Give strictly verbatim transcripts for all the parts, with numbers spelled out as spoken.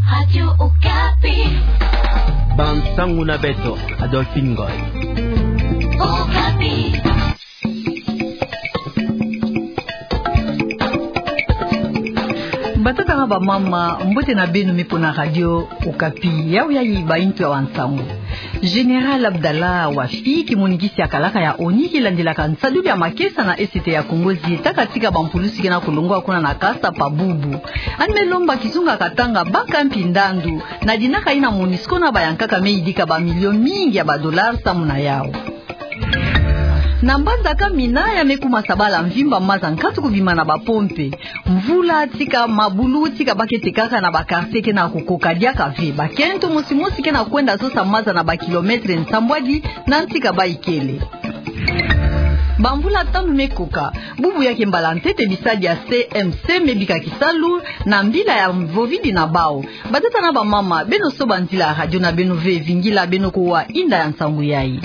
Radio Okapi. Bansangu na beto, Adolphine Ngoy. Okapi. Batata na bamama, mbote na beno meko na Radio Okapi. Yawu yayi baintu ya bansangu. Général Abdallah Wafi, kimonikisi ya kalaka ya ONU kilandilaka nsadulu ya makesa na Est ya Kongo, zietaka tika bampulusi ke na kulongwa kuna na Kasapa bubu. Yandi me lomba kizunga Katanga baka mpi ndandu na dinaka ina MONUSCO na bayankaka me yidika bamilio mingi ya badollars samu na yawu. Na mbanza Kamina ya me kuma sabala mvimba maza nkatu kubima na bapompe. Mvula tika, mabulu tika, ba kete kaka na bakartie ke na kukoka diaka ve. Bakento mosi mosi ke na kwenda sosa maza na bakilometre nsambwadi na nsi ka bayikele. Bamvula tanu me koka, bubu ya ke mbala ntete bisadi ya C M C me bika kisalu na mbila ya vovidi na bawu. Batata na bamama, beno soba nzila ya radio na beno ve, vingila beno kuwa inda ya nsangu yayi.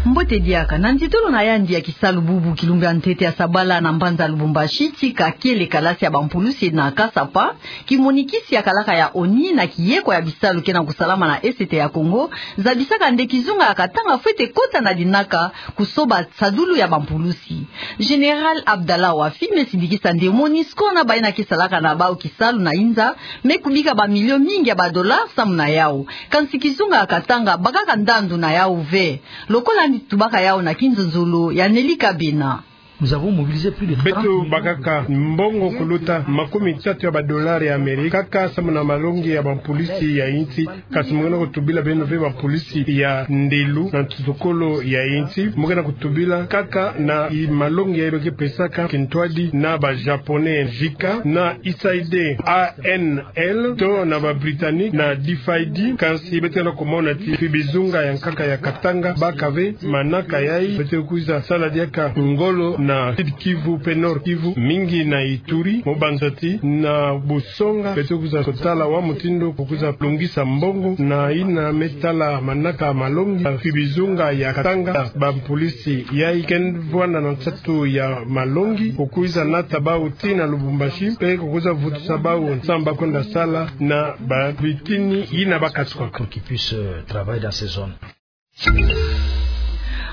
Mbote diaka. Na nzitolo na yandi ya kisalu bubu, kilumbu ya ntete ya sabala na mbanza Lubumbashi, tika kele kalasi ya bampulusi na Kasapa, kimonikisi ya kalaka ya ONU na kiyeko ya bisalu ke na kusalama na Est ya Kongo, zabisaka nde kizunga ya Katanga fwete kota na dinaka kusoba nsadulu ya bampulusi. Général Abdallah Wafi me sidikisa nde MONUSCO na bayina ke salaka na bawu kisalu na inza me kubika bamilio mingi ya badollars samu na yawu. Kansi kizunga ya Katanga bakaka ndandu na yawu ve, lokola yandi tubaka yawu na kinzonzolo ya Nelly Kabena. Nous avons mobilisé plus de trente millions de dollars. Beto bakaka mbongo kuluta makumi tatu ya badollars ya Amerika kaka samu na malongi ya bampulusi ya insi. Kansi mu ke na kutubila beno ve bampulusi ya ndelu na nsutukolo ya insi, mu ke na kutubila kaka na i malongi ya ba ke pesaka kintwadi na ba Japonais, JICA, na U S A I D, A N L, to na ba Britanniques na D F I D. Kansi beto ke na kumona ti mfi bizunga ya nkaka ya Katanga baka ve manaka yayi. Beto kwiza sala diaka ngolo na Sud Kivu pe Nord Kivu, mingi na Ituri, mu banza ti na bu songa, beto kwiza kutala wa mutindu ku kwiza lungisa mbongo na yina me tala manaka malongi, mfi bizunga ya Katanga. Bampulusi yayi ke vwanda na nsatu ya malongi, ku kwiza nata bawu tii na Lubumbashi, pe ku kwiza vutusa bawu nsamba kwenda sala na babitini yina ba katuka. Pour qu'ils puissent, euh, travailler dans ces zones.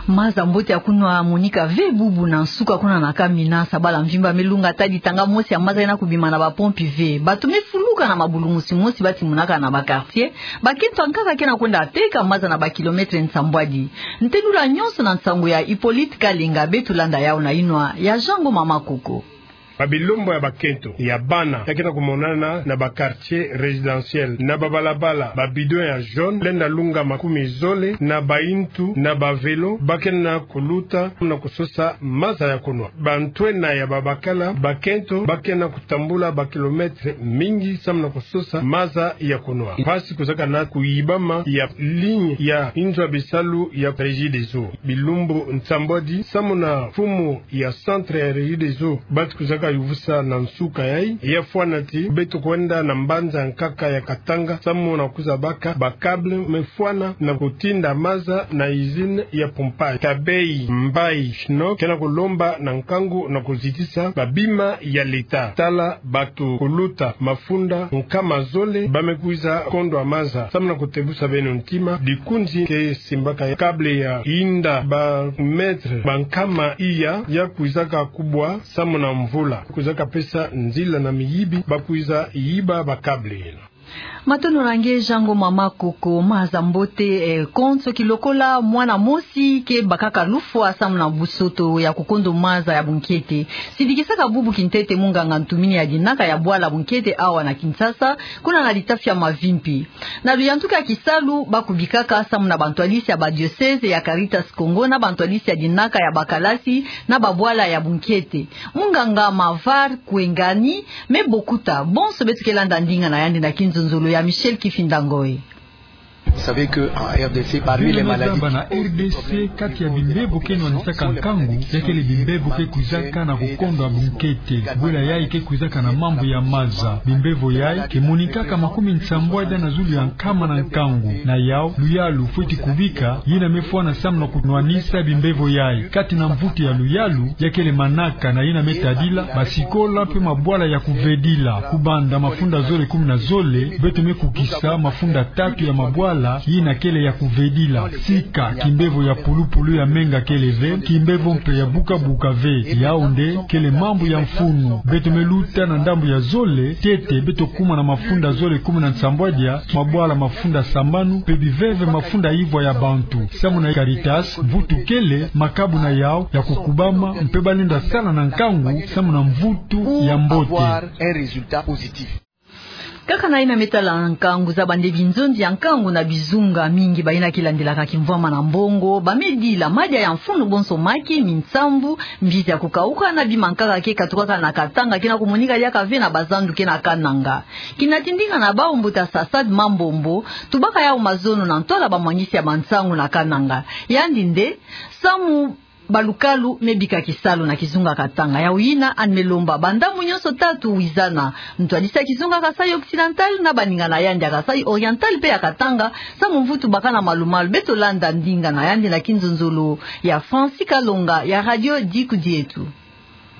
Maza mbote ya kunwa monika ve bubu na nsuka kuna na Kamina, sabala mvimba me lunga, tadi tanga mosi ya maza ke na kubima na bapompe ve. Bato me fuluka na mabulu mosi mosi, ba timunaka na bakartie. Bakento ya nkaka ke na kwenda teka maza na bakilometre nsambwadi. Ntelula nyonso na nsangu ya Hippolyte Kalenga, beto landa yawu na yinwa ya Jean Ngoma Makoko. Babilumbu ya bakento, ya bana, ya ke na kumonana na bakartie résidentiel, na babalabala, babidon ya jaune, lenda lunga makumi zole, na baintu, na bavelo, ba ke na kuluta na kusosa maza ya kunwa. Bantwenia ya babakala, bakento ba ke na kutambula bakilometre mingi samu na kusosa maza ya kunwa. Mpasi kwizaka na kuyibama ya ligne ya inzo ya bisalu ya Regideso. Bilumbu nsambwadi, samu na mfumu ya centre ya Regideso, bati kwizaka yuvusa na nsuka yayi, ya fwana ti beto kwenda na mbanza ya nkaka ya Katanga, samu na kwiza baka ba câble me fwana na kutinda maza na usine ya pompage. Tabeyi, Mbayi, Schnock, ke na kulomba na nkangu na kuzitisa babima ya l'État. Tala bato kuluta mafunda nkama zole ba me kwiza kondwa maza. Samu na kutebusa beno ntima, likunzi ke simbaka câble ya inda ba mètre ba nkama iya, ya kwizaka kubwa samu na mvula. Kwizaka pesa nzila na miyibi ba kwiza yiba ba câble yina. Matondo na nge Jean Ngoma Makoko. Maza mbote, eh, konso kilokola mwana mosi ke bakaka lufwa samu na busoto ya kukondo maza ya bunkete. Sidikisaka bubu kintete munganga ntumini ya dinaka ya bwala bunkete awa na Kinshasa, kuna na litafi ya Mavimpi. Na luyantuka ya kisalu ba kubikaka samu na bantwadisi ya ba diocèse ya Caritas Congo na bantwadisi ya dinaka ya bakalasi na babwala ya bunkete. Munganga Mavar Kwengani me bokuta bonso beto ke landa ndinga na yandi na kinzonzolo ya Michel Kifinda Ngoy. Vous savez que en R D C, parmi les maladies, bana R D C, kati ya bimbevo ke nwanisaka nkangu, ya kele bimbevo ke kwizaka na kukondwa bunkete. Bwela yayi ke kwizaka na mambu ya maza. Bimbevo yayi ke monikaka makumi nsambwadi na zulu ya nkama na nkangu. Na yawu, luyalu fweti kubika, yina me fwana samu na kunwanisa bimbevo yayi. Kati na mvutu ya luyalu, ya kele manaka na yina me tadila, basikola mpe mabwala ya kuvedila. Kubanda mafunda zole kumi na zole, beto me kukisa mafunda tatu ya mabwala, yina kele ya kuvedila. Sika, kimbevo ya pulupulu ya menga kele ve, kimbevo mpe ya bukabuka ve. Yawu nde kele mambu ya mfunu. Beto me luta na ndambu ya zole, ntete beto kuma na mafunda zole kumi na nsambwadi ya mabwala mafunda sambanu, mpe biveve mafunda ivwa ya bantu. Samu na Caritas, mvutu kele, makabu na yawu ya kukubama, mpe balenda sala na nkangu, samu na mvutu ya mbote. Kaka na yina me tala nkangu, zaba nde binzonzi ya nkangu na bizunga mingi bayina ke landilaka kimvwama na mbongo, ba me dila madia ya mfunu bonso maki, minsambu, mbizi ya kukawuka na bima nkaka ke katukaka na Katanga, ke na kumonika diaka ve na bazandu ke na Kananga. Kina tindinga na bawu mbuta Sassad Mambombo, tubaka yawu mazono na ntwala bamwangisi ya bansangu na Kananga. Yandi nde, samu balukalu me bika kisalu na kizunga Katanga. Yawu yina yandi me lomba bandambu nyonso tatu wizana. Ntwadisi ya kizunga Kasaï Occidental na baninga na yandi ya Kasaï Oriental mpe ya Katanga, samu mvutu baka na malumalu. Beto landa ndinga na yandi na kinzonzolo ya Francis Kalonga ya Radio Diku Dieto.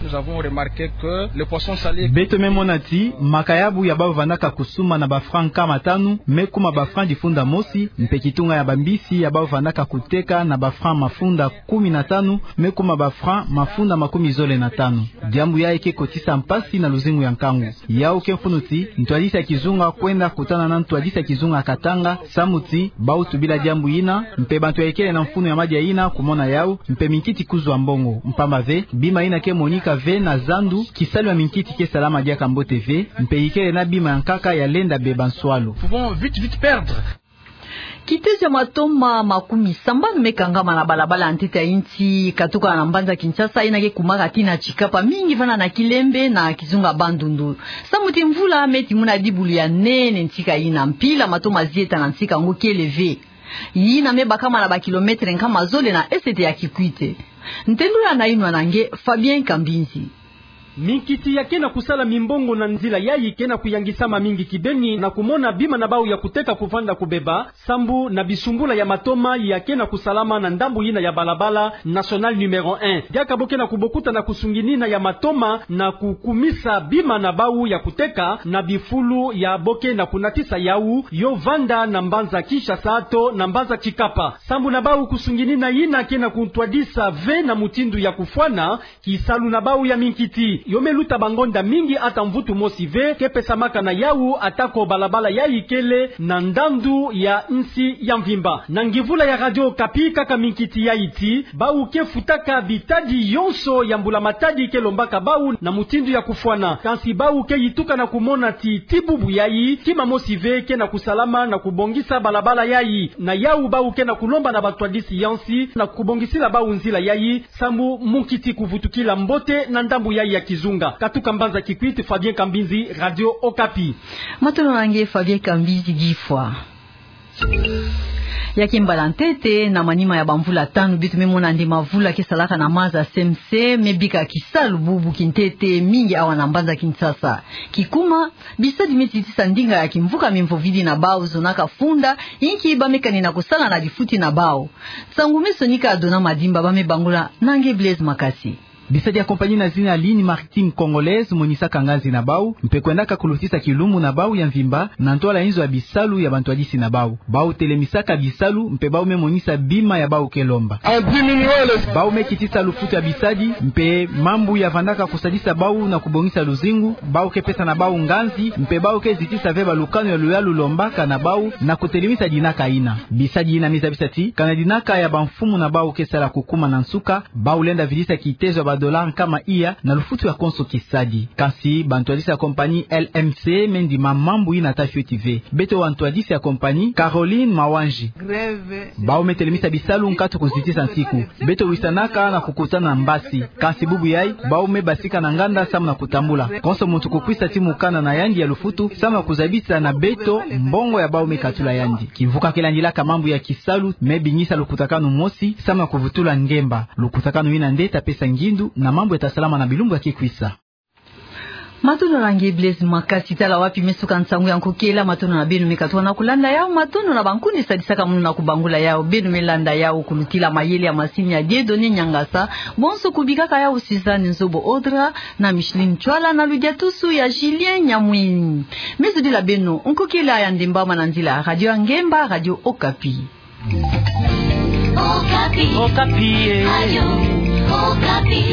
Nous avons remarqué que le poisson salé. Beto me mona ti makayabu ya bawu vandaka kusumba na ba francs nkama tanu me kuma ba francs difunda mosi, mpe kitunga ya bambisi ya bawu vandaka kuteka na ba francs mafunda kumi na tanu me kuma ba francs mafunda makumi zole na tanu. Diambu yayi ke kotisa mpasi na luzingu ya nkangu. Yawu ke mfunu ti ntwadisi ya kizunga kwenda kutana na ntwadisi ya kizunga Katanga, samu ti bawu tubila diambu yina, mpe bantu ya ikele na mfunu ya madia yina kumona yawu, mpe minkiti kuzwa mbongo. Mpamba ve, bima yina ke monika ve na zandu, kisalu ya minkiti ke salama diaka mbote ve, mpe ikele na bima ya nkaka ya lenda beba nswalu. Pouvons vite, vite perdre. Kitezo ya matoma makumi sambanu me kangama na balabala ya ntete ya insi, katuka na mbanza Kinshasa, yina ke kumaka tii na Tshikapa, mingi vanda na Kilembe na kizunga Bandundu. Samu ti mvula me timuna dibulu ya nene ntsika yina, mpila matoma zieta na ntsika yango kele ve. Yina me bakama na ba kilomètre nkama zole na esete ya Kikwit. Ntendula na yinwa na nge Fabien Kambinzi. Minkiti ya ke na kusala mimbongo na nzila yayi ke na kuyangisama mingi kibeni na kumona bima na bawu ya kuteka kuvanda kubeba, sambu na bisumbula ya matoma ya ke na kusalama na ndambu yina ya balabala nationale numéro un. Diaka bo ke na kubokuta na kusunginina ya matoma na kukumisa bima na bawu ya kuteka na bifulu ya bo ke na kunatisa yawu, yo vanda na mbanza Kinshasa to na mbanza Tshikapa. Sambu na bawu kusunginina yina ke na kuntwadisa ve na mutindu ya kufwana, kisalu na bawu ya minkiti. Yo me luta bangonda mingi ata mvutu mosi ve ke pesamaka na yawu, atako balabala yayi kele na ndandu ya insi ya mvimba. Na ngivula ya Radio Okapi, kaka minkiti yayi ti bawu ke futaka bitadi yonso ya mbula matadi ke lombaka bawu na mutindu ya kufwana. Kansi bawu ke yituka na kumona ti tii bubu yayi, kima mosi ve ke na kusalama na kubongisa balabala yayi. Na yawu bawu ke na kulomba na bantwadisi ya insi na kubongisila bawu nzila yayi, sambu munkiti kuvutukila mbote na ndambu yayi ya kizunga. Katuka mbanza Kikwit, Fabien Kambinzi, Radio Okapi. Matondo na nge Fabien Kambinzi difwa. Ya ke mbala ntete, na manima ya bamvula tanu, beto me mona nde mavula ke salaka na maza semse, me bika kisalu bubu kintete mingi awa na mbanza Kinshasa. Kikuma, bisadi me zitisa ndinga ya kimvuka mimvovidi na bawu zonaka funda, inki ba me kanina kusala na difuti na bawu. Nsangu me sonika Dona Madimba, ba me bangula na nge Blaise Makasi. Bisadi ya compagnie na zina Lignes Maritimes Congolaises monisaka nganzi na bawu, mpe kwendaka kulutisa kilumbu na bawu ya mvimba na ntwala inzo ya bisalu ya bantwadisi na bawu. Bawu telemisaka bisalu, mpe bawu me monisa bima ya bawu ke lomba. Bawu me kitisa lufutu ya bisadi, mpe mambu ya vandaka kusadisa bawu na kubongisa luzingu, bawu ke pesa na bawu nganzi, mpe bawu ke zitisa ve balukanu ya luyalu lombaka na bawu na kutelemisa dinaka yina. Bisadi yina me zabisa ti, kana dinaka ya bamfumu na bawu ke sala kukuma na nsuka, bawu lenda vidisa kitezo ya dollar nkama iya na lufutu ya konso kisadi. Kansi bantwadisi ya compagnie L M C me ndima mambu ina ta fioti ve. Beto bantwadisi ya compagnie Caroline Mawanji, bau me telemisa bisalu nkatu kuzitisa nsiku. Beto wisanaka na kukutana na mbasi. Kansi bubu yai, bau me basika na nganda samu na kutambula. Konso muntu kukwisa ti mukanda na yandi ya lufutu samu na kuzabisa na beto mbongo ya bau me katula yandi. Kimvuka ke landilaka mambu ya kisalu me bingisa lukutakanu mosi samu na kuvutula ngemba. Lukutakanu ina nde ta pesa ngindu na mambu ya ta salama na bilumbu ya ke kwisa. Matondo na nge Blaise Makasi. Tala wapi me suka nsangu ya nkokela. Matondo na beno me katuka na kulanda yau. Matondo na bankundi sadisaka mono na kubangula yau. Beno me landa yau kulutila mayele ya masini ya Dieudonné Niangasa. Bonso kubikaka yau Suzanne Nzobo Audra na Micheline Tswala na ludiatusu ya Julien Nyamwini. Me zodila beno nkokela ya ndemba mana nzila Radio ya Ngemba, Radio Okapi. Okapi. Okapi, eh. Radio Okapi.